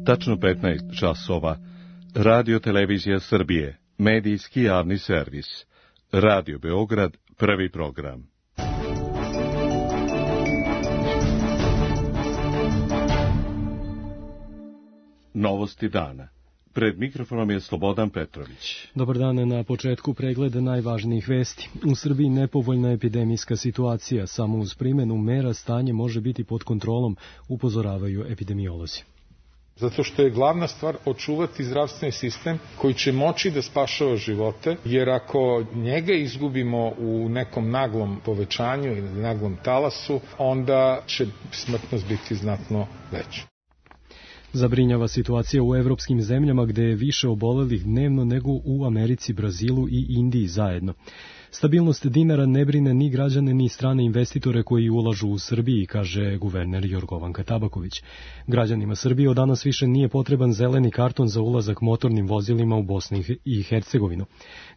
Tačno 15 časova. Radio Televizija Srbije, medijski javni servis. Radio Beograd, prvi program. Novosti dana. Pred mikrofonom je Slobodan Petrović. Dobar dan, na početku pregleda najvažnijih vesti. U Srbiji nepovoljna epidemijska situacija, samo uz primjenu mera stanje može biti pod kontrolom, upozoravaju epidemiolozi. Zato što je glavna stvar očuvati zdravstveni sistem koji će moći da spašava živote, jer ako njega izgubimo u nekom naglom povećanju ili naglom talasu, onda će smrtnost biti znatno veća. Zabrinjava situacija u evropskim zemljama gde je više obolelih dnevno nego u Americi, Brazilu i Indiji zajedno. Stabilnost dinara ne brine ni građane ni strane investitore koji ulažu u Srbiji, kaže guverner Jorgovanka Tabaković. Građanima Srbije od danas više nije potreban zeleni karton za ulazak motornim vozilima u Bosni i Hercegovinu.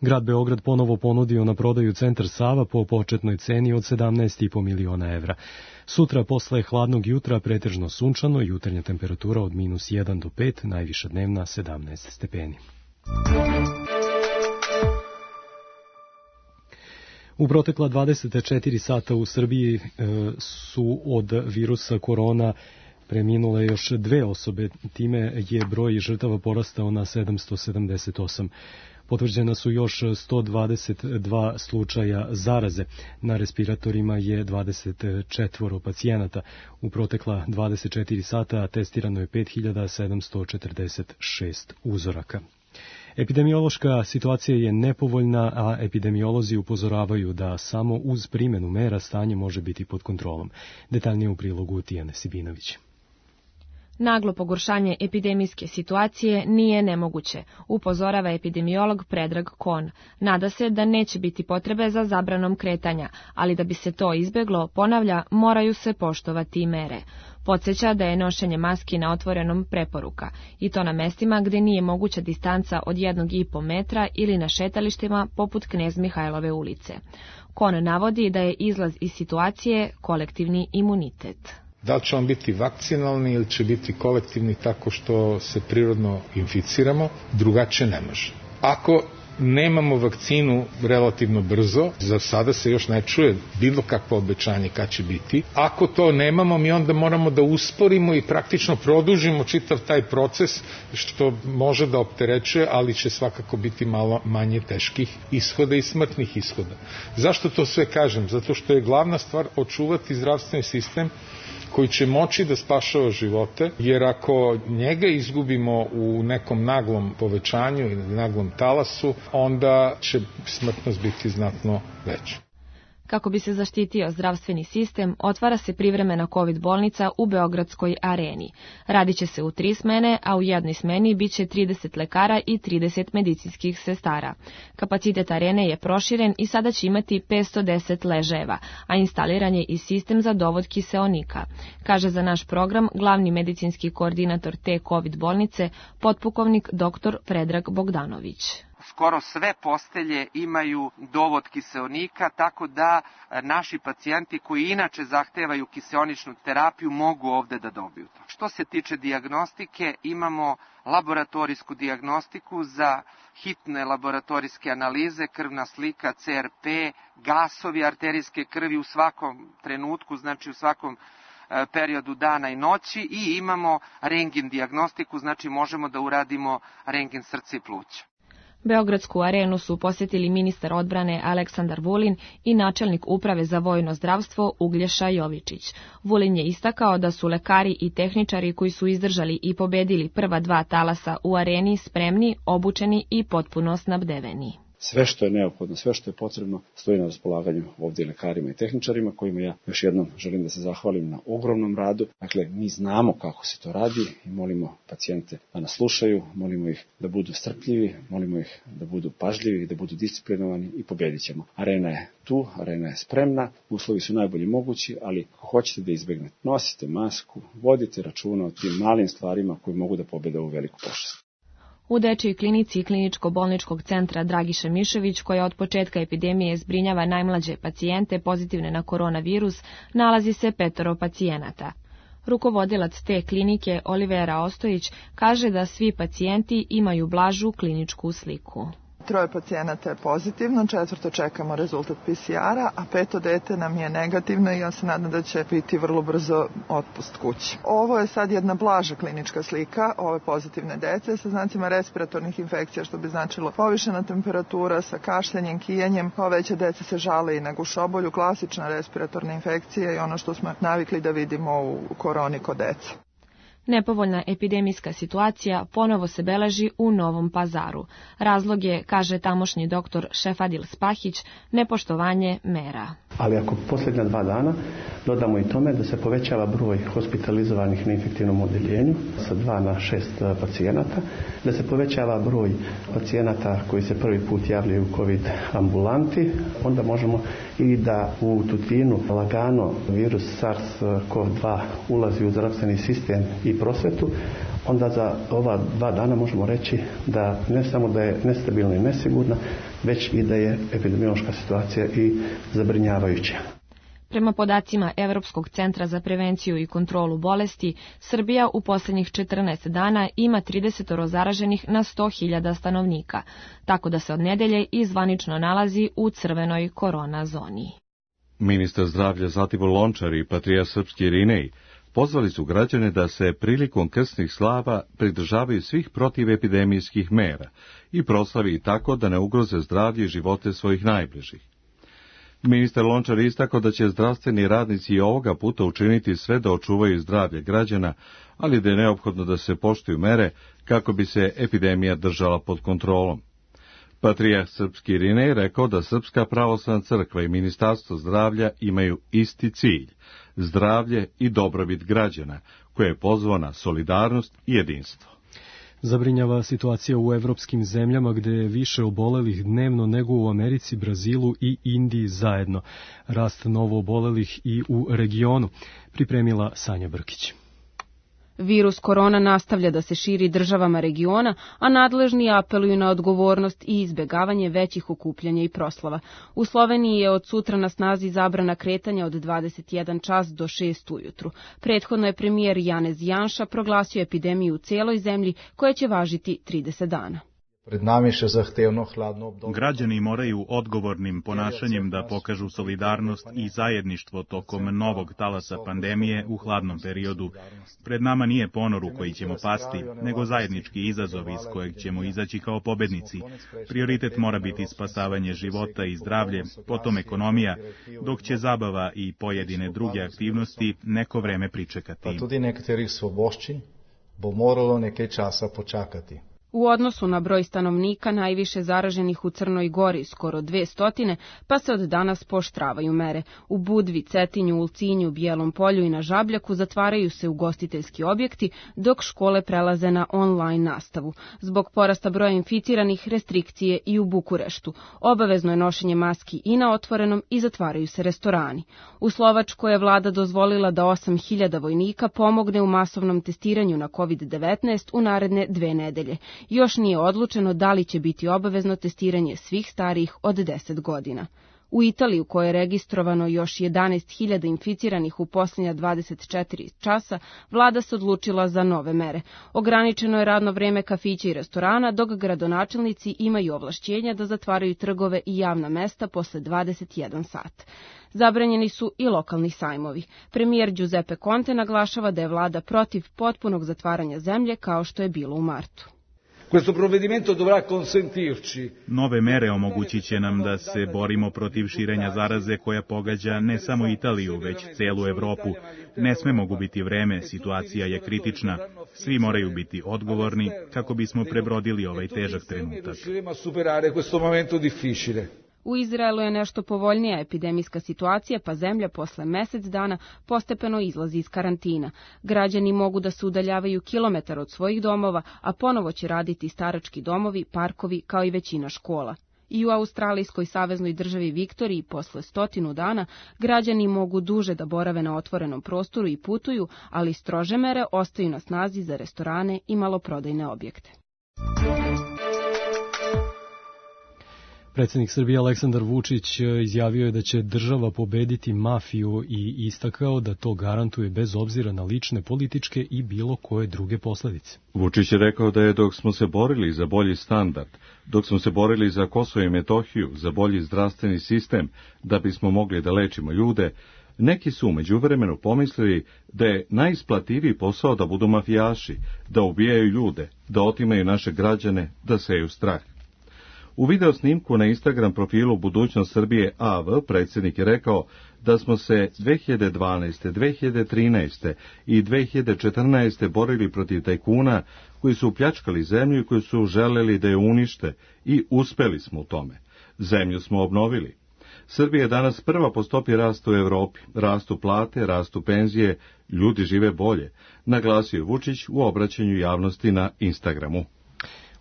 Grad Beograd ponovo ponudio na prodaju centar Sava po početnoj ceni od 17,5 miliona evra. Sutra posle hladnog jutra pretežno sunčano, jutarnja temperatura od -1 do 5, najviša dnevna 17 stepeni. U protekla 24 sata u Srbiji su od virusa korona preminule još 2 osobe, time je broj žrtava porastao na 778. Potvrđena su još 122 slučaja zaraze. Na respiratorima je 24 pacijenata. U protekla 24 sata testirano je 5746 uzoraka. Epidemiološka situacija je nepovoljna, a epidemiolozi upozoravaju da samo uz primjenu mera stanje može biti pod kontrolom. Detaljnije u prilogu Tijane Sibinović. Naglo pogoršanje epidemijske situacije nije nemoguće, upozorava epidemiolog Predrag Kon. Nada se da neće biti potrebe za zabranom kretanja, ali da bi se to izbjeglo, ponavlja, moraju se poštovati mere. Podsjeća da je nošenje maski na otvorenom preporuka, i to na mestima gdje nije moguća distanca od 1,5 metra ili na šetalištima poput Knez Mihajlove ulice. Kon navodi da je izlaz iz situacije kolektivni imunitet. Da li će on biti vakcinalni ili će biti kolektivni tako što se prirodno inficiramo, drugačije ne može. Ako nemamo vakcinu relativno brzo, za sada se još ne čuje bilo kakvo obećanje kad će biti. Ako to nemamo, mi onda moramo da usporimo i praktično produžimo čitav taj proces, što može da opterećuje, ali će svakako biti malo manje teških ishoda i smrtnih ishoda. Zašto to sve kažem? Zato što je glavna stvar očuvati zdravstveni sistem koji će moći da spašava živote, jer ako njega izgubimo u nekom naglom povećanju ili naglom talasu, onda će smrtnost biti znatno veća. Kako bi se zaštitio zdravstveni sistem, otvara se privremena COVID bolnica u Beogradskoj areni. Radit će se u 3 smene, a u jednoj smeni bit će 30 lekara i 30 medicinskih sestara. Kapacitet arene je proširen i sada će imati 510 ležajeva, a instaliran je i sistem za dovod kiseonika, kaže za naš program glavni medicinski koordinator te COVID bolnice, potpukovnik dr. Predrag Bogdanović. Skoro sve postelje imaju dovod kiseonika, tako da naši pacijenti koji inače zahtevaju kiseoničnu terapiju mogu ovde da dobiju to. Što se tiče dijagnostike, imamo laboratorijsku dijagnostiku za hitne laboratorijske analize, krvna slika, CRP, gasovi arterijske krvi u svakom trenutku, znači u svakom periodu dana i noći, i imamo rentgen dijagnostiku, znači možemo da uradimo rentgen srca i pluća. Beogradsku arenu su posjetili ministar odbrane Aleksandar Vulin i načelnik uprave za vojno zdravstvo Uglješa Jovičić. Vulin je istakao da su lekari i tehničari koji su izdržali i pobedili prva 2 talasa u areni spremni, obučeni i potpuno snabdeveni. Sve što je neophodno, sve što je potrebno stoji na raspolaganju ovdje lekarima i tehničarima, kojima ja još jednom želim da se zahvalim na ogromnom radu. Dakle, mi znamo kako se to radi i molimo pacijente da nas slušaju, molimo ih da budu strpljivi, molimo ih da budu pažljivi, da budu disciplinovani i pobjedit ćemo. Arena je tu, arena je spremna, uslovi su najbolji mogući, ali ako hoćete da izbegnete, nosite masku, vodite računa o tim malim stvarima koji mogu da pobjede ovu veliku pošast. U dečijoj klinici Kliničko-bolničkog centra Dragiša Mišović, koja od početka epidemije zbrinjava najmlađe pacijente pozitivne na koronavirus, nalazi se 5 pacijenata. Rukovodilac te klinike Olivera Ostojić kaže da svi pacijenti imaju blažu kliničku sliku. 3 pacijenata je pozitivno, 4 čekamo rezultat PCR-a, a 5 dete nam je negativno i ja se nadam da će biti vrlo brzo otpust kući. Ovo je sad jedna blaža klinička slika ove pozitivne dece sa znacima respiratornih infekcija, što bi značilo povišena temperatura sa kašljanjem, kijanjem. Ove veće dece se žale i na gušobolju, klasična respiratorna infekcija i ono što smo navikli da vidimo u koroni kod dece. Nepovoljna epidemijska situacija ponovo se beleži u Novom Pazaru. Razlog je, kaže tamošnji doktor Šefadil Spahić, nepoštovanje mera. Ali ako posljednja 2 dana dodamo i tome da se povećava broj hospitalizovanih na infektivnom odeljenju sa 2 na 6 pacijenata, da se povećava broj pacijenata koji se prvi put javljaju u COVID ambulanti, onda možemo i da u Tutinu lagano virus SARS-CoV-2 ulazi u zdravstveni sistem i prosvetu, onda za ova 2 dana možemo reći da ne samo da je nestabilna i nesigurna, već i da je epidemiološka situacija i zabrinjavajuća. Prema podacima Evropskog centra za prevenciju i kontrolu bolesti, Srbija u posljednjih 14 dana ima 30 zaraženih na 100.000 stanovnika, tako da se od nedelje i zvanično nalazi u crvenoj korona zoni. Ministar zdravlja Zlatibor Lončar i patrijarh srpski Irinej pozvali su građane da se prilikom krsnih slava pridržavaju svih protivepidemijskih mera i proslavi tako da ne ugroze zdravlje i živote svojih najbližih. Ministar Lončar istakao da će zdravstveni radnici i ovoga puta učiniti sve da očuvaju zdravlje građana, ali da je neophodno da se poštuju mere kako bi se epidemija držala pod kontrolom. Patrijarh srpski Irinej rekao da Srpska pravoslavna crkva i Ministarstvo zdravlja imaju isti cilj, zdravlje i dobrobit građana, koje je pozvao na solidarnost i jedinstvo. Zabrinjava situacija u evropskim zemljama gde je više obolelih dnevno nego u Americi, Brazilu i Indiji zajedno. Rast novo obolelih i u regionu, pripremila Sanja Brkić. Virus korona nastavlja da se širi državama regiona, a nadležni apeluju na odgovornost i izbjegavanje većih okupljanja i proslava. U Sloveniji je od sutra na snazi zabrana kretanja od 21 čas do 6 ujutru. Prethodno je premijer Janez Janša proglasio epidemiju u celoj zemlji koja će važiti 30 dana. Pred nami še zahtevno hladno obdobje. Građani moraju odgovornim ponašanjem da pokažu solidarnost i zajedništvo tokom novog talasa pandemije u hladnom periodu. Pred nama nije ponor u koji ćemo pasti, nego zajednički izazov iz kojeg ćemo izaći kao pobednici. Prioritet mora biti spasavanje života i zdravlje, potom ekonomija, dok će zabava i pojedine druge aktivnosti neko vreme pričekati. Pa tudi nekaterih svoboščin bo moralo nekaj časa počakati. U odnosu na broj stanovnika najviše zaraženih u Crnoj Gori, skoro 200, pa se od danas pooštravaju mere. U Budvi, Cetinju, Ulcinju, Bijelom Polju i na Žabljaku zatvaraju se ugostiteljski objekti, dok škole prelaze na online nastavu. Zbog porasta broja inficiranih, restrikcije i u Bukureštu. Obavezno je nošenje maski i na otvorenom i zatvaraju se restorani. U Slovačkoj je vlada dozvolila da 8.000 vojnika pomogne u masovnom testiranju na COVID-19 u naredne 2 nedelje. Još nije odlučeno da li će biti obavezno testiranje svih starijih od 10 godina. U Italiji, u kojoj je registrovano još 11.000 inficiranih u posljednja 24 časa, vlada se odlučila za nove mere. Ograničeno je radno vreme kafića i restorana, dok gradonačelnici imaju ovlašćenja da zatvaraju trgove i javna mesta posle 21 sat. Zabranjeni su i lokalni sajmovi. Premijer Giuseppe Conte naglašava da je vlada protiv potpunog zatvaranja zemlje kao što je bilo u martu. Nove mere omogućit će nam da se borimo protiv širenja zaraze koja pogađa ne samo Italiju, već celu Evropu. Ne smemo gubiti vreme, situacija je kritična. Svi moraju biti odgovorni kako bismo prebrodili ovaj težak trenutak. U Izraelu je nešto povoljnija epidemijska situacija, pa zemlja posle mjesec dana postepeno izlazi iz karantina. Građani mogu da se udaljavaju kilometar od svojih domova, a ponovo će raditi starački domovi, parkovi, kao i većina škola. I u australijskoj saveznoj državi Viktoriji posle 100 dana građani mogu duže da borave na otvorenom prostoru i putuju, ali strože mere ostaju na snazi za restorane i maloprodajne objekte. Predsjednik Srbije Aleksandar Vučić izjavio je da će država pobediti mafiju i istakao da to garantuje bez obzira na lične, političke i bilo koje druge posledice. Vučić je rekao da je dok smo se borili za bolji standard, dok smo se borili za Kosovo i Metohiju, za bolji zdravstveni sistem, da bismo mogli da lečimo ljude, neki su međuvremenu pomislili da je najisplativiji posao da budu mafijaši, da ubijaju ljude, da otimaju naše građane, da seju strah. U video snimku na Instagram profilu Budućnost Srbije AV predsjednik je rekao da smo se 2012., 2013. i 2014. borili protiv tajkuna koji su pljačkali zemlju i koji su želeli da je unište i uspeli smo u tome. Zemlju smo obnovili. Srbija je danas prva po stopi rasta u Evropi. Rastu plate, rastu penzije, ljudi žive bolje, naglasio je Vučić u obraćanju javnosti na Instagramu.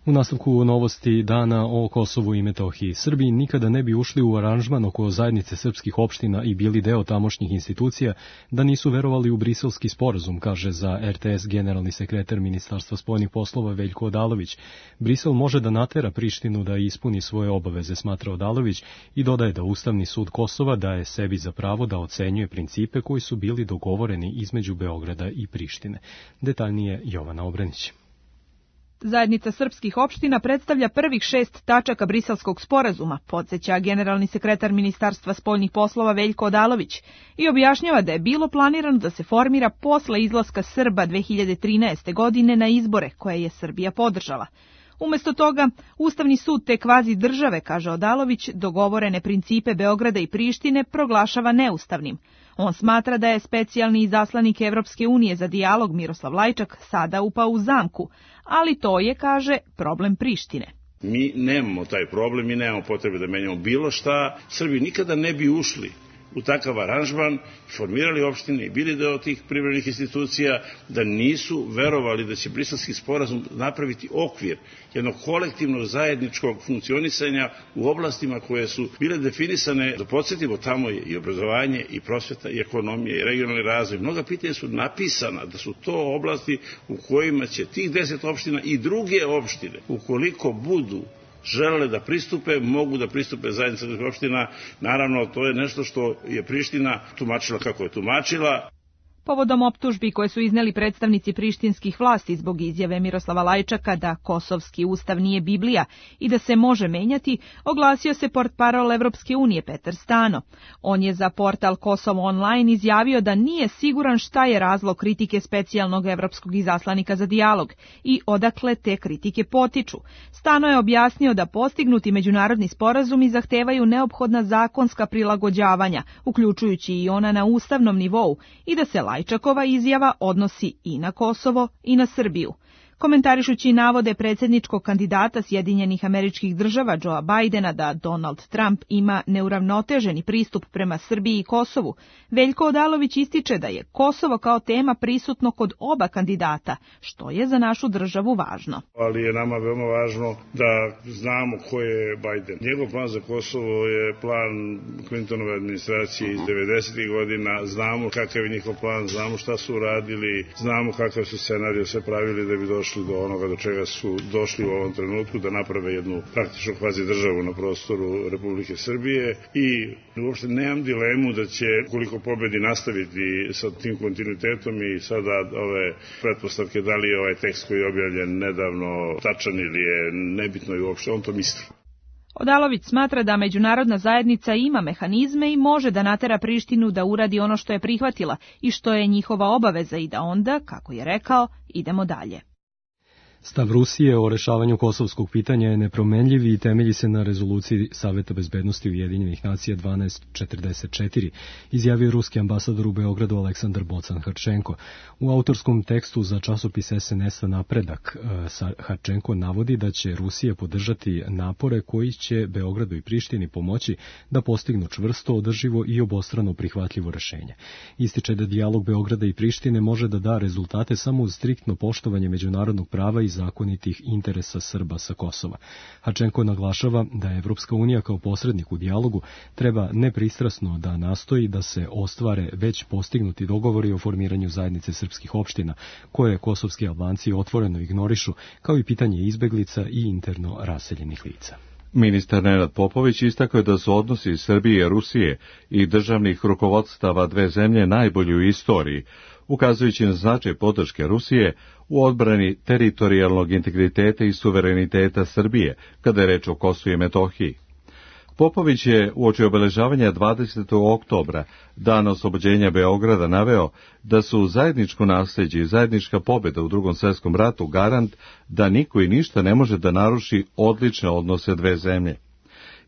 U nastavku novosti dana o Kosovu i Metohiji. Srbiji nikada ne bi ušli u aranžman oko zajednice srpskih opština i bili deo tamošnjih institucija da nisu verovali u briselski sporazum, kaže za RTS generalni sekretar Ministarstva spoljnih poslova Veljko Odalović. Brisel može da natera Prištinu da ispuni svoje obaveze, smatra Odalović, i dodaje da Ustavni sud Kosova daje sebi za pravo da ocenjuje principe koji su bili dogovoreni između Beograda i Prištine. Detaljnije Jovana Obrenić. Zajednica srpskih opština predstavlja prvih 6 tačaka briselskog sporazuma, podsjeća generalni sekretar Ministarstva spoljnih poslova Veljko Odalović i objašnjava da je bilo planirano da se formira posle izlaska Srba 2013. godine na izbore koje je Srbija podržala. Umesto toga, Ustavni sud te kvazi države, kaže Odalović, dogovorene principe Beograda i Prištine proglašava neustavnim. On smatra da je specijalni izaslanik Evropske unije za dijalog Miroslav Lajčak sada upao u zamku, ali to je, kaže, problem Prištine. Mi nemamo taj problem, mi nemamo potrebe da menjamo bilo šta. Srbi nikada ne bi ušli u takav aranžman, formirali opštine i bili deo tih privremenih institucija, da nisu verovali da će briselski sporazum napraviti okvir jednog kolektivnog zajedničkog funkcionisanja u oblastima koje su bile definisane, da podsjetimo, tamo je i obrazovanje, i prosveta, i ekonomija, i regionalni razvoj. Mnoga pitanja su napisana da su to oblasti u kojima će tih 10 opština i druge opštine, ukoliko budu želele da pristupe, mogu da pristupe zajednica opština. Naravno, to je nešto što je Priština tumačila kako je tumačila. Povodom optužbi koje su izneli predstavnici prištinskih vlasti zbog izjave Miroslava Lajčaka da kosovski ustav nije Biblija i da se može menjati, oglasio se portparol Evropske unije Petar Stano. On je za portal Kosovo Online izjavio da nije siguran šta je razlog kritike specijalnog evropskog izaslanika za dijalog i odakle te kritike potiču. Stano je objasnio da postignuti međunarodni sporazumi zahtevaju neophodna zakonska prilagođavanja, uključujući i ona na ustavnom nivou, i da se Lajčakova izjava odnosi i na Kosovo i na Srbiju. Komentarišući navode predsjedničkog kandidata Sjedinjenih Američkih Država Joea Bidena da Donald Trump ima neuravnoteženi pristup prema Srbiji i Kosovu, Veljko Odalović ističe da je Kosovo kao tema prisutno kod oba kandidata, što je za našu državu važno. Ali je nama veoma važno da znamo ko je Biden. Njegov plan za Kosovo je plan Clintonove administracije iz 90. godina, znamo kakav je njihov plan, znamo šta su uradili, znamo kakav su scenarij sve pravili da bi došli do onoga do čega su došli u ovom trenutku, da naprave jednu praktično kvazi državu na prostoru Republike Srbije, i uopšte nemam dilemu da će, koliko pobedi, nastaviti sa tim kontinuitetom. I sada ove pretpostavke da li je ovaj tekst koji je objavljen nedavno tačan ili je nebitno, i uopšte on to misli. Odalović smatra da međunarodna zajednica ima mehanizme i može da natera Prištinu da uradi ono što je prihvatila i što je njihova obaveza, i da onda, kako je rekao, idemo dalje. Stav Rusije o rešavanju kosovskog pitanja je nepromenljiv i temelji se na rezoluciji Saveta bezbednosti Ujedinjenih nacija 1244, izjavio ruski ambasador u Beogradu Aleksandar Bocan-Harčenko. U autorskom tekstu za časopis SNS-a Napredak Harčenko navodi da će Rusija podržati napore koji će Beogradu i Prištini pomoći da postignu čvrsto, održivo i obostrano prihvatljivo rešenje. Ističe da dijalog Beograda i Prištine može da da rezultate samo uz striktno poštovanje međunarodnog prava i zakonitih interesa Srba sa Kosova. Harčenko naglašava da Evropska unija kao posrednik u dijalogu treba nepristrasno da nastoji da se ostvare već postignuti dogovori o formiranju zajednice srpskih opština, koje kosovski Albanci otvoreno ignorišu, kao i pitanje izbeglica i interno raseljenih lica. Ministar Nenad Popović istakao je da su odnosi Srbije, Rusije i državnih rukovodstava dve zemlje najbolji u istoriji, ukazujući na značaj podrške Rusije u odbrani teritorijalnog integriteta i suvereniteta Srbije, kada je reč o Kosovu i Metohiji. Popović je uoči obeležavanja 20. oktobra, dana oslobođenja Beograda, naveo da su zajedničko nasleđe i zajednička pobjeda u Drugom svjetskom ratu garant da niko i ništa ne može da naruši odlične odnose dve zemlje.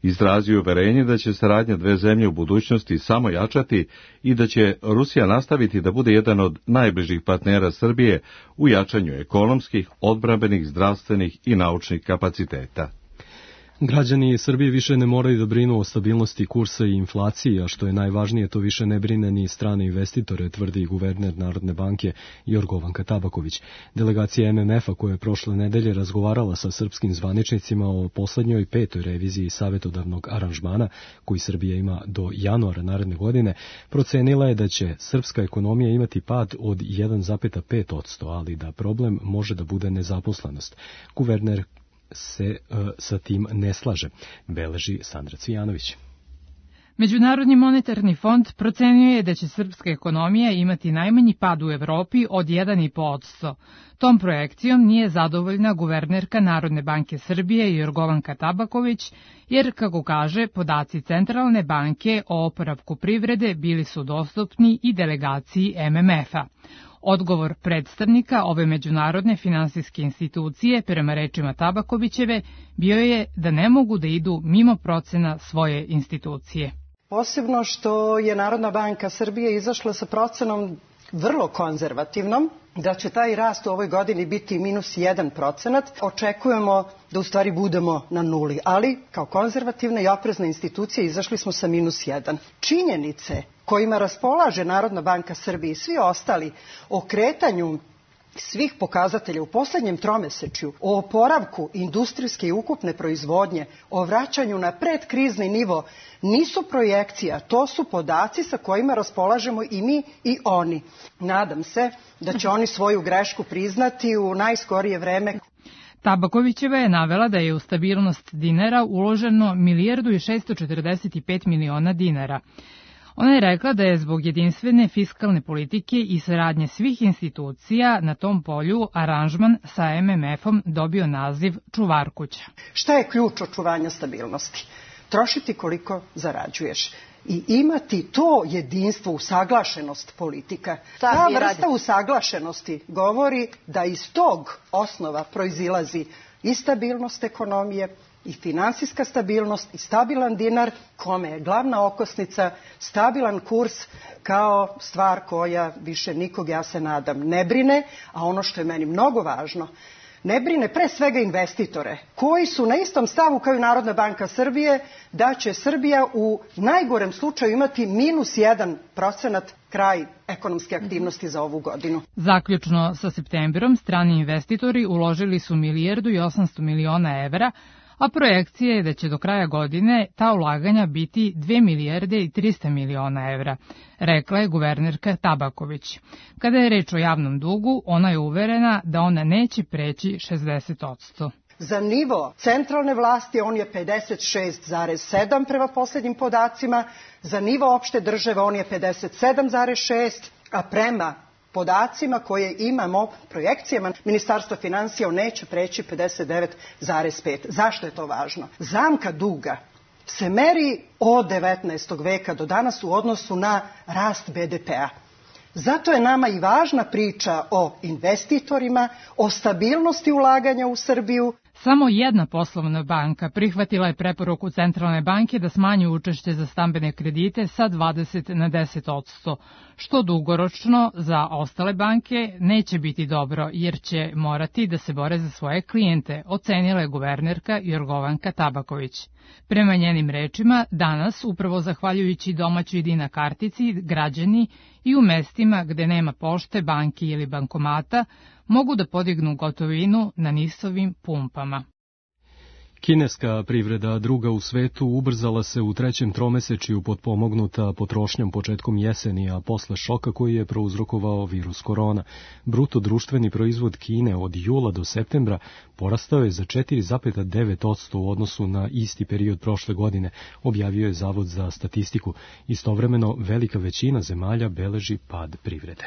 Izrazio uverenje da će saradnja dve zemlje u budućnosti samo jačati i da će Rusija nastaviti da bude jedan od najbližih partnera Srbije u jačanju ekonomskih, odbrambenih, zdravstvenih i naučnih kapaciteta. Građani Srbije više ne moraju da brinu o stabilnosti kursa i inflaciji, a što je najvažnije, to više ne brine ni strane investitore, tvrdi guverner Narodne banke Jorgovanka Tabaković. Delegacija MMF-a koja je prošle nedelje razgovarala sa srpskim zvaničnicima o poslednjoj 5. reviziji savetodavnog aranžmana, koji Srbija ima do januara naredne godine, procenila je da će srpska ekonomija imati pad od 1,5%, ali da problem može da bude nezaposlenost. Guverner se sa tim ne slaže, beleži Sandra Cvijanović. Međunarodni monetarni fond procenjuje je da će srpska ekonomija imati najmanji pad u Evropi od 1,5%. Tom projekcijom nije zadovoljna guvernerka Narodne banke Srbije Jorgovanka Tabaković, jer, kako kaže, podaci Centralne banke o oporavku privrede bili su dostupni i delegaciji MMF-a. Odgovor predstavnika ove međunarodne finansijske institucije, prema rečima Tabakovićeve, bio je da ne mogu da idu mimo procena svoje institucije. Posebno što je Narodna banka Srbije izašla sa procenom vrlo konzervativnom, da će taj rast u ovoj godini biti -1%. Očekujemo da u stvari budemo na nuli, ali kao konzervativna i oprezna institucija izašli smo sa -1. Činjenice kojima raspolaže Narodna banka Srbije i svi ostali o kretanju svih pokazatelja u poslednjem tromesečju, o oporavku industrijske i ukupne proizvodnje, o vraćanju na predkrizni nivo, nisu projekcija, to su podaci sa kojima raspolažemo i mi i oni. Nadam se da će oni svoju grešku priznati u najskorije vreme. Tabakovićeva je navela da je u stabilnost dinara uloženo 1.645 miliona dinara. Ona je rekla da je zbog jedinstvene fiskalne politike i saradnje svih institucija na tom polju aranžman sa MMF-om dobio naziv čuvar kuća. Šta je ključ očuvanja stabilnosti? Trošiti koliko zarađuješ i imati to jedinstvo, usaglašenost politika. Ta vrsta usaglašenosti govori da iz tog osnova proizilazi i stabilnost ekonomije, i finansijska stabilnost, i stabilan dinar, kome je glavna okosnica stabilan kurs kao stvar koja više nikog, ja se nadam, ne brine, a ono što je meni mnogo važno, ne brine pre svega investitore, koji su na istom stavu kao i Narodna banka Srbije, da će Srbija u najgorem slučaju imati -1% kraj ekonomske aktivnosti za ovu godinu. Zaključno sa septembrom, strani investitori uložili su 1.800 miliona evra, a projekcija je da će do kraja godine ta ulaganja biti 2.300 miliona evra, rekla je guvernerka Tabaković. Kada je reč o javnom dugu, ona je uverena da ona neće preći 60%. Za nivo centralne vlasti on je 56,7 prema poslednjim podacima, za nivo opšte države on je 57,6, a prema podacima koje imamo, projekcijama Ministarstva finansija, on neće preći 59,5. Zašto je to važno? Zamka duga se meri od 19. veka do danas u odnosu na rast BDP-a. Zato je nama i važna priča o investitorima, o stabilnosti ulaganja u Srbiju. Samo jedna poslovna banka prihvatila je preporuku Centralne banke da smanji učešće za stambene kredite sa 20 na 10%, što dugoročno za ostale banke neće biti dobro, jer će morati da se bore za svoje klijente, ocenila je guvernerka Jorgovanka Tabaković. Prema njenim rečima, danas, upravo zahvaljujući domaćoj Dina kartici, građani i u mestima gde nema pošte, banki ili bankomata, mogu da podignu gotovinu na NIS-ovim pumpama. Kineska privreda, druga u svetu, ubrzala se u trećem tromesečju potpomognuta potrošnjom početkom jeseni, a posle šoka koji je prouzrokovao virus korona. Bruto društveni proizvod Kine od jula do septembra porastao je za 4,9% u odnosu na isti period prošle godine, objavio je Zavod za statistiku. Istovremeno, velika većina zemalja beleži pad privrede.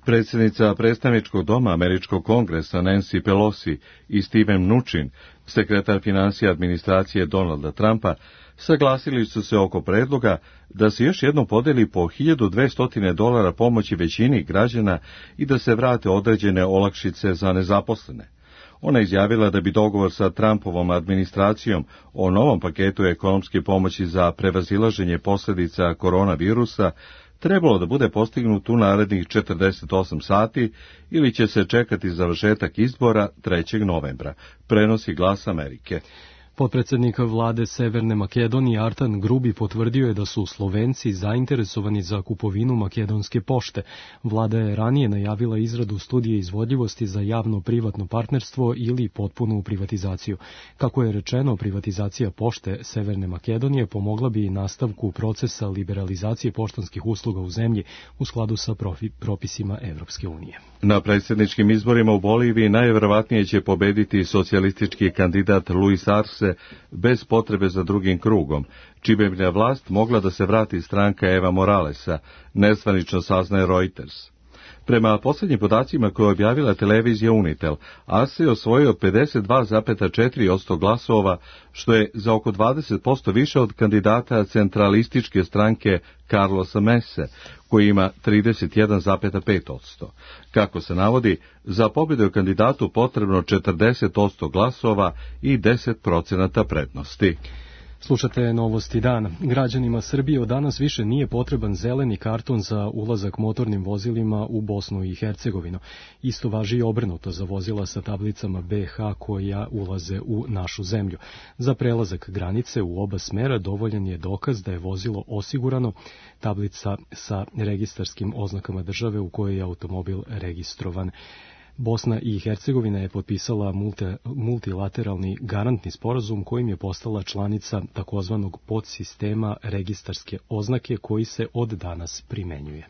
Predsjednica predstavničkog doma Američkog kongresa Nancy Pelosi i Steven Mnuchin, sekretar financija administracije Donalda Trumpa, saglasili su se oko predloga da se još jednom podeli po $1.200 pomoći većini građana i da se vrate određene olakšice za nezaposlene. Ona je izjavila da bi dogovor sa Trumpovom administracijom o novom paketu ekonomske pomoći za prevazilaženje posljedica koronavirusa trebalo da bude postignut u narednih 48 sati ili će se čekati završetak izbora 3. novembra, prenosi Glas Amerike. Potpredsjednik vlade Severne Makedonije Artan Grubi potvrdio je da su Slovenci zainteresovani za kupovinu makedonske pošte. Vlada je ranije najavila izradu studije izvodljivosti za javno-privatno partnerstvo ili potpunu privatizaciju. Kako je rečeno, privatizacija pošte Severne Makedonije pomogla bi nastavku procesa liberalizacije poštanskih usluga u zemlji u skladu sa propisima Evropske unije. Na predsjedničkim izborima u Boliviji najvjerovatnije će pobediti socijalistički kandidat Luis Arce bez potrebe za drugim krugom, čime bi na vlast mogla da se vrati stranka Eva Moralesa, nezvanično saznaje Reuters. Prema posljednjim podacima koje je objavila televizija Unitel, Arce je osvojio 52,4% glasova, što je za oko 20% više od kandidata centralističke stranke Carlosa Mese, koji ima 31,5%. Kako se navodi, za pobjedu je kandidatu potrebno 40% glasova i 10% prednosti. Slušate novosti dana. Građanima Srbije od danas više nije potreban zeleni karton za ulazak motornim vozilima u Bosnu i Hercegovinu. Isto važi i obrnuto za vozila sa tablicama BH koja ulaze u našu zemlju. Za prelazak granice u oba smera dovoljan je dokaz da je vozilo osigurano, tablica sa registarskim oznakama države u kojoj je automobil registrovan. Bosna i Hercegovina je potpisala multilateralni garantni sporazum kojim je postala članica takozvanog podsistema registarske oznake koji se od danas primenjuje.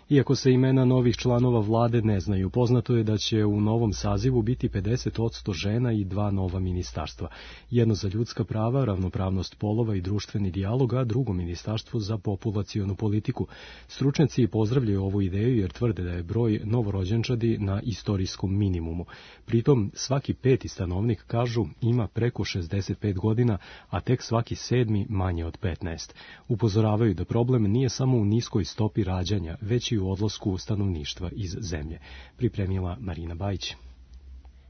Iako se imena novih članova vlade ne znaju, poznato je da će u novom sazivu biti 50% žena i 2 nova ministarstva. Jedno za ljudska prava, ravnopravnost polova i društveni dijalog, a drugo ministarstvo za populacionu politiku. Stručnjaci pozdravljaju ovu ideju jer tvrde da je broj novorođenčadi na istorijskom minimumu. Pritom svaki 5. stanovnik, kažu, ima preko 65 godina, a tek svaki 7. manje od 15. Upozoravaju da problem nije samo u niskoj stopi rađanja, već i u odlasku stanovništva iz zemlje. Pripremila Marina Bajić.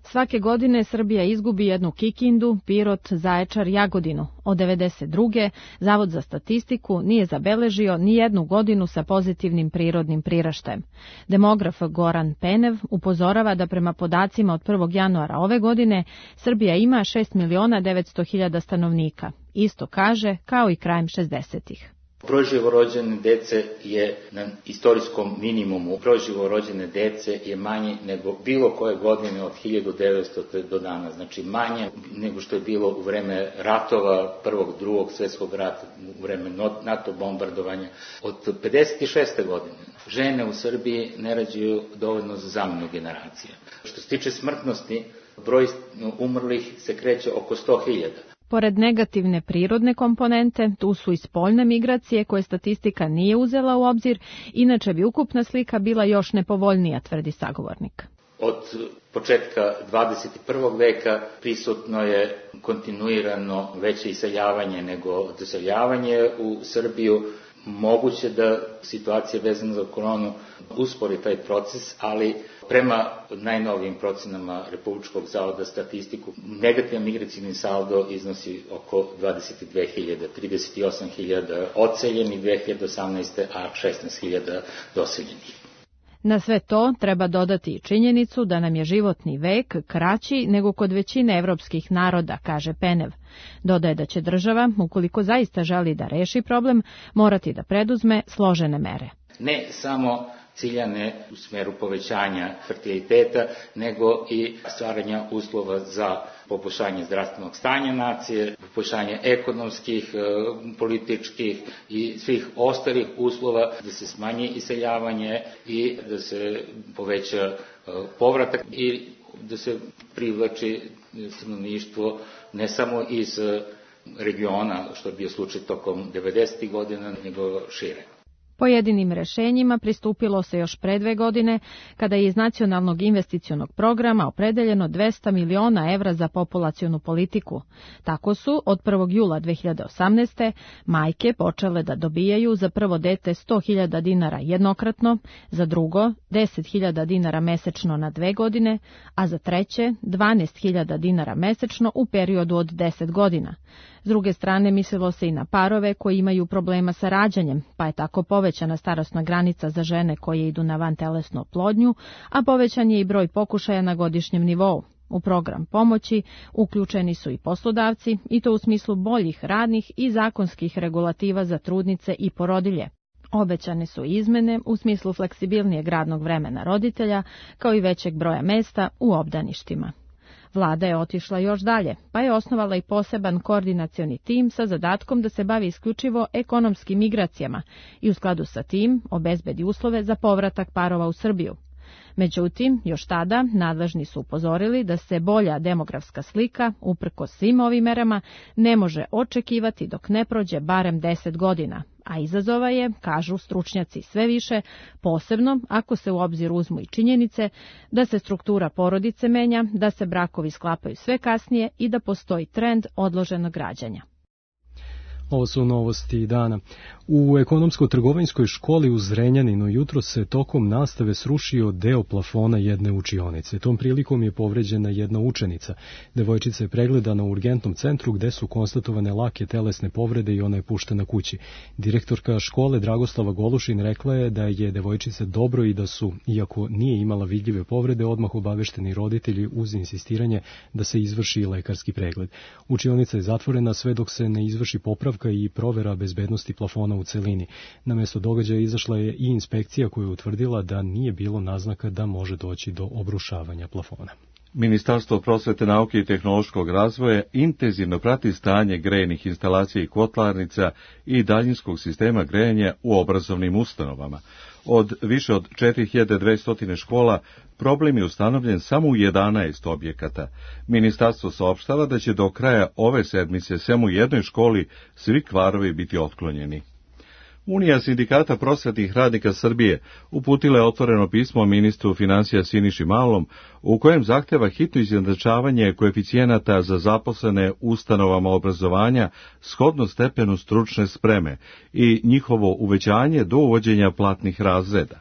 Svake godine Srbija izgubi jednu Kikindu, Pirot, Zaječar, Jagodinu. Od 1992. Zavod za statistiku nije zabeležio ni jednu godinu sa pozitivnim prirodnim priraštajem. Demograf Goran Penev upozorava da prema podacima od 1. januara ove godine Srbija ima 6.900.000 stanovnika. Isto kaže kao i krajem 60-ih. Broj živorođene dece je na istorijskom minimumu. Broj živorođene dece je manji nego bilo koje godine od 1900. do danas. Znači manje nego što je bilo u vreme ratova, prvog, drugog svjetskog rata, u vreme NATO bombardovanja. Od 56. godine žene u Srbiji ne rađaju dovoljno za zamenu generacije. Što se tiče smrtnosti, broj umrlih se kreće oko 100.000. Pored negativne prirodne komponente, tu su i spoljne migracije koje statistika nije uzela u obzir, inače bi ukupna slika bila još nepovoljnija, tvrdi sagovornik. Od početka 21. veka prisutno je kontinuirano veće iseljavanje nego doseljavanje u Srbiju. Moguće da situacija vezana za koronu uspori taj proces, ali prema najnovijim procenama Republičkog zavoda statistiku, negativan migracijni saldo iznosi oko 22.000, 38.000 odseljenih 2018. a 16.000 doseljenih. Na sve to treba dodati i činjenicu da nam je životni vek kraći nego kod većine evropskih naroda, kaže Penev. Dodaje da će država, ukoliko zaista želi da reši problem, morati da preduzme složene mere. Ne samo ciljane u smeru povećanja fertiliteta, nego i stvaranja uslova za poboljšanje zdravstvenog stanja nacije, poboljšanje ekonomskih, političkih i svih ostalih uslova, da se smanji iseljavanje i da se poveća povratak i da se privlači stanovništvo ne samo iz regiona, što je bio slučaj tokom 90. godina, nego šire. Pojedinim rešenjima pristupilo se još pre 2 godine, kada je iz Nacionalnog investicionog programa opredeljeno 200 miliona evra za populacionu politiku. Tako su od 1. jula 2018. majke počele da dobijaju za prvo dete 100.000 dinara jednokratno, za drugo 10.000 dinara mesečno na 2 godine, a za treće 12.000 dinara mesečno u periodu od 10 godina. S druge strane, mislilo se i na parove koji imaju problema sa rađanjem, pa je tako povećana starosna granica za žene koje idu na vantelesnu oplodnju, a povećan je i broj pokušaja na godišnjem nivou. U program pomoći uključeni su i poslodavci, i to u smislu boljih radnih i zakonskih regulativa za trudnice i porodilje. Obećane su izmene u smislu fleksibilnijeg radnog vremena roditelja, kao i većeg broja mesta u obdaništima. Vlada je otišla još dalje, pa je osnovala i poseban koordinacioni tim sa zadatkom da se bavi isključivo ekonomskim migracijama i u skladu sa tim obezbedi uslove za povratak parova u Srbiju. Međutim, još tada nadležni su upozorili da se bolja demografska slika, uprkos svim ovim merama, ne može očekivati dok ne prođe barem 10 godina, a izazova je, kažu stručnjaci, sve više, posebno ako se u obzir uzmu i činjenice da se struktura porodice menja, da se brakovi sklapaju sve kasnije i da postoji trend odloženog rađanja. Ovo su novosti dana. U ekonomsko-trgovinskoj školi u Zrenjaninu jutro se tokom nastave srušio deo plafona jedne učionice. Tom prilikom je povređena jedna učenica. Devojčica je pregledana u urgentnom centru gde su konstatovane lake telesne povrede i ona je puštena kući. Direktorka škole Dragoslava Golušin rekla je da je devojčica dobro i da su, iako nije imala vidljive povrede, odmah obavešteni roditelji uz insistiranje da se izvrši lekarski pregled. Učionica je zatvorena sve dok se ne izvrši popravka i provera bezbednosti plafona u celini. Na mesto događaja izašla je i inspekcija koja je utvrdila da nije bilo naznaka da može doći do obrušavanja plafona. Ministarstvo prosvete, nauke i tehnološkog razvoja intenzivno prati stanje grejnih instalacija i kotlarnica i daljinskog sistema grejanja u obrazovnim ustanovama. Od više od 4200 škola problem je ustanovljen samo u 11 objekata. Ministarstvo saopštava da će do kraja ove sedmice samo u jednoj školi svi kvarovi biti otklonjeni. Unija sindikata prosvetnih radnika Srbije uputila je otvoreno pismo ministru finansija Siniši Malom, u kojem zahteva hitno izjednačavanje koeficijenata za zaposlene ustanovama obrazovanja shodno stepenu stručne spreme i njihovo uvećanje do uvođenja platnih razreda.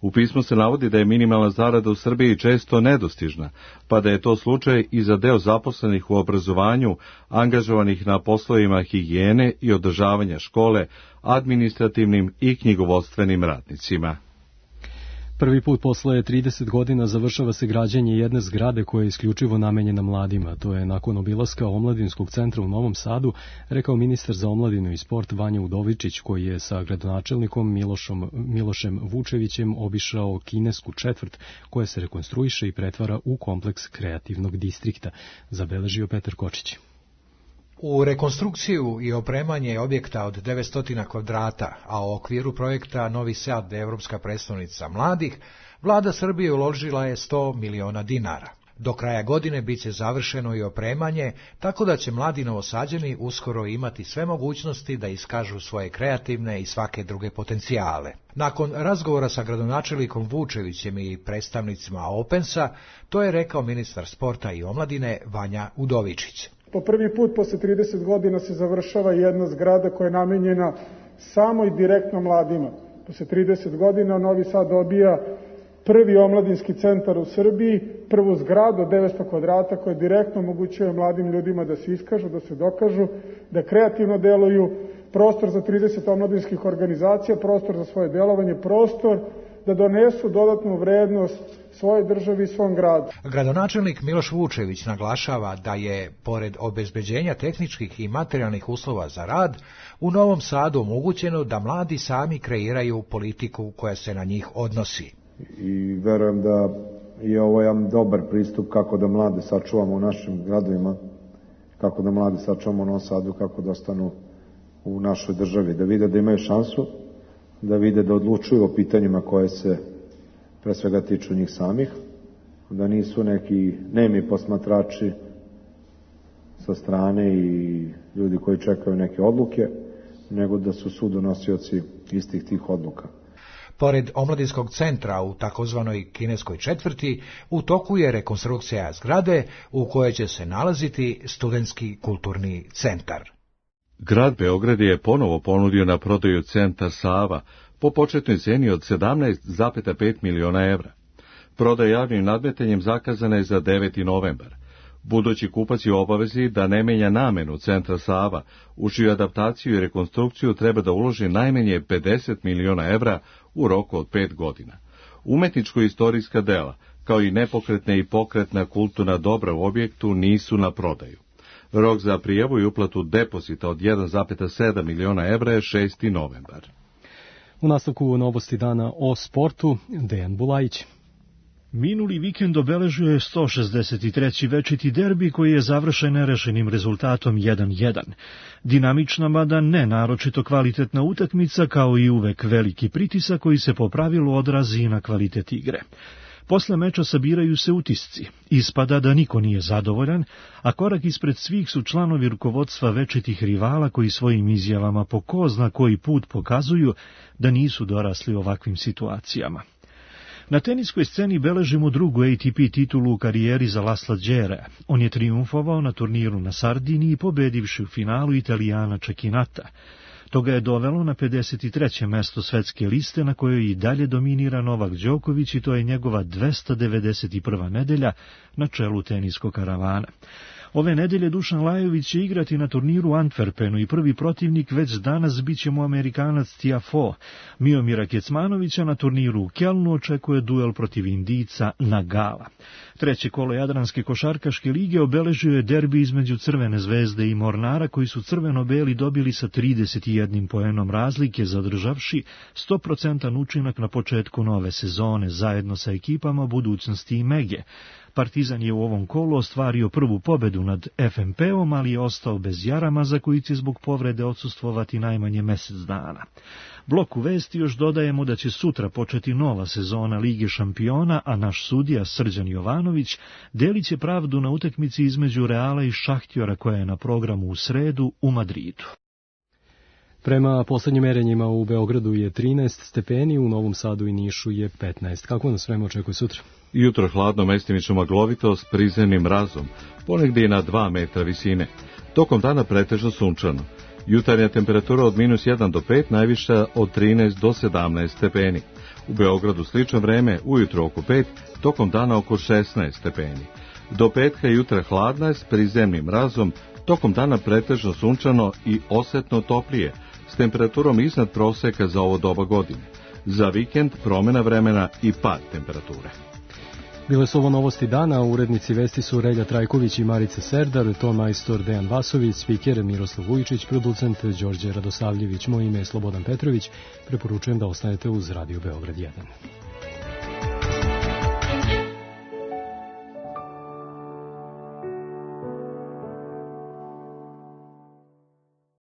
U pismu se navodi da je minimalna zarada u Srbiji često nedostižna, pa da je to slučaj i za deo zaposlenih u obrazovanju, angažovanih na poslovima higijene i održavanja škole, administrativnim i knjigovodstvenim radnicima. Prvi put posle 30 godina završava se građenje jedne zgrade koja je isključivo namenjena mladima. To je nakon obilaska Omladinskog centra u Novom Sadu rekao ministar za omladinu i sport Vanja Udovičić, koji je sa gradonačelnikom Milošem Vučevićem obišao kinesku četvrt koja se rekonstruiše i pretvara u kompleks kreativnog distrikta, zabeležio Petar Kočić. U rekonstrukciju i opremanje objekta od 900 kvadrata, a u okviru projekta Novi Sad, Evropska predstavnica mladih, vlada Srbije uložila je 100 miliona dinara. Do kraja godine biće završeno i opremanje, tako da će mladi Novosađani uskoro imati sve mogućnosti da iskažu svoje kreativne i svake druge potencijale. Nakon razgovora sa gradonačelnikom Vučevićem i predstavnicima Opensa, to je rekao ministar sporta i omladine Vanja Udovičić. Po prvi put posle 30 godina se završava jedna zgrada koja je namenjena samo i direktno mladima. Posle 30 godina Novi Sad dobija prvi omladinski centar u Srbiji, prvu zgradu od 900 kvadrata koja direktno omogućuje mladim ljudima da se iskažu, da se dokažu, da kreativno deluju. prostor za 30 omladinskih organizacija, prostor za svoje delovanje, prostor da donesu dodatnu vrednost svojoj državi i svom gradu. Gradonačelnik Miloš Vučević naglašava da je, pored obezbeđenja tehničkih i materijalnih uslova za rad, u Novom Sadu omogućeno da mladi sami kreiraju politiku koja se na njih odnosi. I verujem da je ovo jedan dobar pristup kako da mlade sačuvamo u našim gradovima, kako da mlade sačuvamo u Novom Sadu, kako da ostanu u našoj državi, da vide da imaju šansu, da vide da odlučuju o pitanjima koje se pre svega tiču njih samih, da nisu neki nemi posmatrači sa strane i ljudi koji čekaju neke odluke, nego da su sudonosioci istih tih odluka. Pored omladinskog centra u takozvanoj kineskoj četvrti, u toku je rekonstrukcija zgrade u kojoj će se nalaziti studentski kulturni centar. Grad Beograd je ponovo ponudio na prodaju centar Sava po početnoj ceni od 17,5 miliona evra. Prodaja javnim nadmetanjem zakazana je za 9. novembar. Budući kupac je u obavezi da ne menja namenu centra Sava, u čiju adaptaciju i rekonstrukciju treba da uloži najmanje 50 miliona evra u roku od 5 godina. Umetničko-istorijska dela, kao i nepokretna i pokretna kulturna dobra u objektu nisu na prodaju. Rok za prijavu i uplatu depozita od 1,7 miliona evra je 6. novembar. U nastavku novosti dana o sportu, Dejan Bulajić. Minuli vikend obeležio je 163. večiti derbi koji je završen nerešenim rezultatom 1:1. Dinamična, mada ne naročito kvalitetna utakmica, kao i uvek veliki pritisak koji se po pravilu odrazi i na kvalitet igre. Posle meča sabiraju se utisci. Ispada da niko nije zadovoljan, a korak ispred svih su članovi rukovodstva večitih rivala koji svojim izjavama po ko zna koji put pokazuju da nisu dorasli ovakvim situacijama. Na teniskoj sceni beležimo drugu ATP titulu u karijeri za Lasla Đerea. On je trijumfovao na turniru na Sardiniji, pobedivši u finalu Italijana Čekinata. To ga je dovelo na 53. mesto svetske liste na kojoj i dalje dominira Novak Đoković i to je njegova 291. nedelja na čelu teniskog karavana. Ove nedelje Dušan Lajović će igrati na turniru u Antwerpenu i prvi protivnik već danas bit će mu Amerikanac Tiafoe. Miomira Kecmanovića na turniru u Kelnu očekuje duel protiv Indijca Nagala. Treće kolo Jadranske košarkaške lige obeležio je derbi između Crvene zvezde i Mornara koji su crveno-beli dobili sa 31 poenom razlike, zadržavši 100% učinak na početku nove sezone zajedno sa ekipama Budućnosti i Mege. Partizan je u ovom kolu ostvario prvu pobedu nad FNP-om, ali je ostao bez Jaramaza koji će zbog povrede odsustvovati najmanje mesec dana. Bloku vesti još dodajemo da će sutra početi nova sezona Lige šampiona, a naš sudija Srđan Jovanović delit će pravdu na utakmici između Reala i Šahtjora koja je na programu u sredu u Madridu. Prema poslednjim merenjima u Beogradu je 13 stepeni, u Novom Sadu i Nišu je 15. Kako nas vreme očekuje sutra? Jutro hladno, mestimično maglovito s prizemnim mrazom, ponegdje i na 2 metra visine. Tokom dana pretežno sunčano. Jutarnja temperatura od -1 do 5, najviša od 13 do 17 stepeni. U Beogradu slično vreme, ujutro oko 5, tokom dana oko 16 stepeni. Do petka jutra hladna s prizemnim mrazom, tokom dana pretežno sunčano i osetno toplije, s temperaturom iznad proseka za ovo doba godine. Za vikend promjena vremena i pad temperature. Bile su ovo novosti dana, urednici vesti su Relja Trajković i Marica Serdar, ton majstor Dejan Vasović, spiker Miroslav Vujičić, producent Đorđe Radosavljević, moje ime je Slobodan Petrović, preporučujem da ostanete uz Radio Beograd 1.